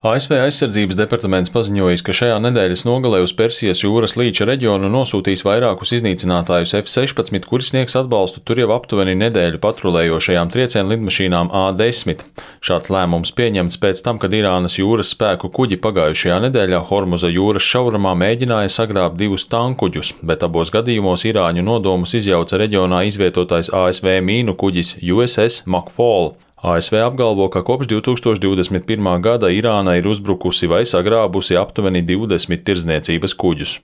ASV aizsardzības departaments paziņojis, ka šajā nedēļas nogalē uz Persijas jūras līča reģionu nosūtīs vairākus iznīcinātājus F-16, kuri sniegs atbalstu tur jau aptuveni nedēļu patrulējošajām triecienu lidmašīnām A-10. Šāds lēmums pieņemts pēc tam, kad Irānas jūras spēku kuģi pagājušajā nedēļā Hormuza jūras šaurumā mēģināja sagrābt 2 tankuģus, bet abos gadījumos irāņu nodomus izjauca reģionā izvietotais ASV mīnu kuģis USS McFaul. ASV apgalvo, ka kopš 2021. gada Irāna ir uzbrukusi vai sagrābusi aptuveni 20 tirdzniecības kuģus.